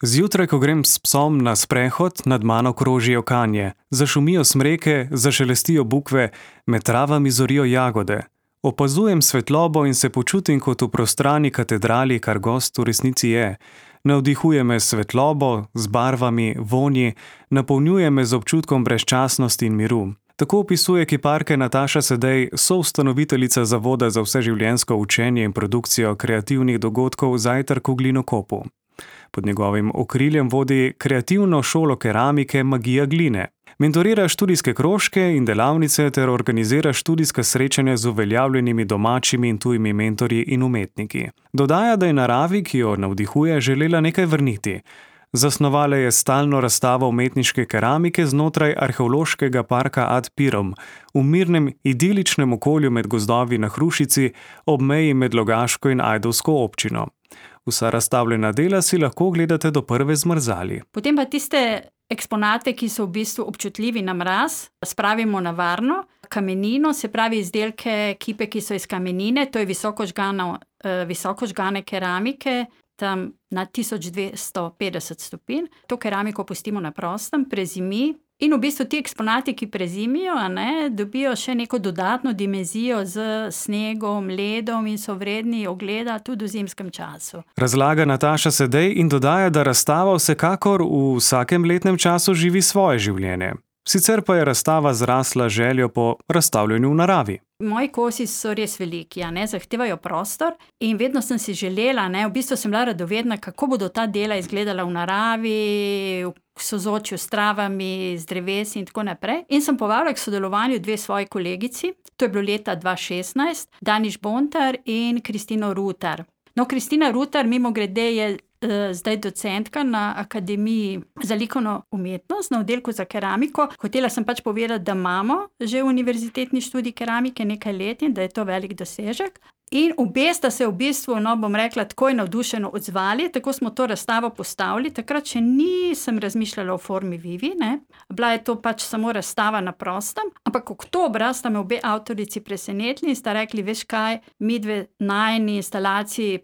Zjutraj, ko grem s psom na sprehod, nad mano krožijo kanje, zašumijo smreke, zašelestijo bukve, med travami zorijo jagode. Opazujem svetlobo in se počutim kot v prostrani katedrali, kar gost v resnici je. Navdihuje me s svetlobo, z barvami, vonji, napolnjuje me z občutkom brezčasnosti in miru. Tako opisuje kiparka Nataša Sedej, soustanoviteljica Zavoda za vseživljenjsko učenje in produkcijo kreativnih dogodkov Zajtrk v Glinokopu. Pod njegovim okriljem vodi kreativno šolo keramike Magija gline. Mentorira študijske krožke in delavnice ter organizira študijska srečanja z uveljavljenimi domačimi in tujimi mentorji in umetniki. Dodaja, da je naravi, ki jo navdihuje, želela nekaj vrniti. Zasnovala je stalno razstavo umetniške keramike znotraj arheološkega parka Ad Pirom, v mirnem, idiličnem okolju med gozdovi na Hrušici, ob meji med Logaško in Ajdovsko občino. Vsa razstavljena dela si lahko gledate do prve zmrzali. Potem pa tiste eksponate, ki so v bistvu občutljivi na mraz, spravimo na varno kamenino, se pravi izdelke, kipe, ki so iz kamenine, to je visoko žgane keramike, tam na 1250 stopinj. To keramiko pustimo na prostem, prezimi. In v bistvu ti eksponati, ki prezimijo, dobijo še neko dodatno dimenzijo z snegom, ledom in so vredni ogleda tudi v zimskem času. Razlaga Nataša Sedej in dodaja, da razstava vsekakor v vsakem letnem času živi svoje življenje. Sicer pa je razstava zrasla željo po razstavljanju v naravi. Moji kosi so res veliki, zahtevajo prostor in vedno sem si želela, v bistvu sem bila radovedna, kako bodo ta dela izgledala v naravi, v sozvočju s travami, z drevesi in tako naprej. In sem povabila k sodelovanju dve svoji kolegici, to je bilo leta 2016, Daniš Bontar in Kristino Rutar. Kristina Rutar, mimogrede, je zdaj docentka na Akademiji za likovno umetnost, na oddelku za keramiko. Hotela sem povedati, da imamo že univerzitetni študij keramike nekaj let in da je to velik dosežek. In obe sta se v bistvu, bom rekla, takoj navdušeno odzvali, tako smo to razstavo postavili. Takrat še nisem razmišljala o formi Vivi, Bila je to samo razstava na prostem, ampak oktobra sta me obe avtorici presenetili in sta rekli, veš kaj, midve najini instalaciji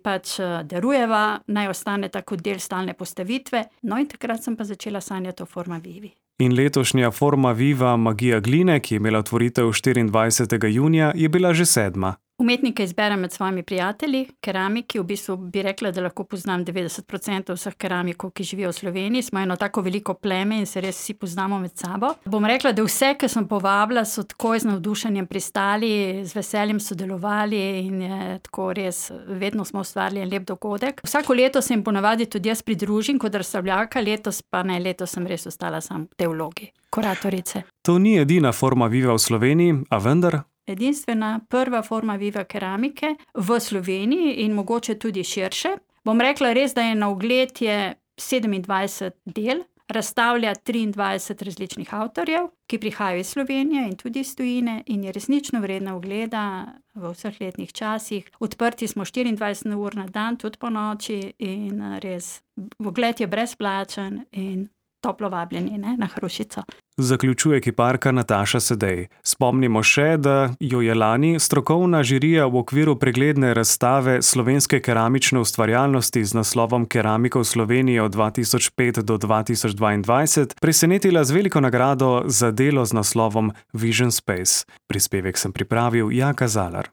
darujeva, naj ostaneta kot del stalne postavitve. In takrat sem pa začela sanjati o forma Vivi. In letošnja forma Viva Magija gline, ki je imela otvoritev 24. junija, je bila že 7. Umetnike izberem med svojimi prijatelji, keramiki, v bistvu bi rekla, da lahko poznam 90% vseh keramikov, ki živijo v Sloveniji. Smo eno tako veliko pleme in se res vsi poznamo med sabo. Bom rekla, da vse, ki sem povabila, so takoj z navdušenjem pristali, z veseljem sodelovali in je tako res, vedno smo ustvarili en lep dogodek. Vsako leto se jim ponavadi tudi jaz pridružim kot razstavljalka, letos sem res ostala sam v tej vlogi kuratorice. To ni edina forma Viva v Sloveniji, a vendar? Edinstvena prva forma Viva keramike v Sloveniji in mogoče tudi širše. Bom rekla res, da je na ogled 27 del, razstavlja 23 različnih avtorjev, ki prihajajo iz Slovenije in tudi iz tujine in je resnično vredna ogleda v vseh letnih časih. Odprti smo 24 ur na dan, tudi po noči in res, ogled je brezplačen in toplo vabljeni na Hrušico. Zaključuje kiparka Nataša Sedej. Spomnimo še, da jo je lani strokovna žirija v okviru pregledne razstave slovenske keramične ustvarjalnosti z naslovom Keramika v Sloveniji od 2005 do 2022 presenetila z veliko nagrado za delo z naslovom Vision Space. Prispevek sem pripravil Jaka Zalar.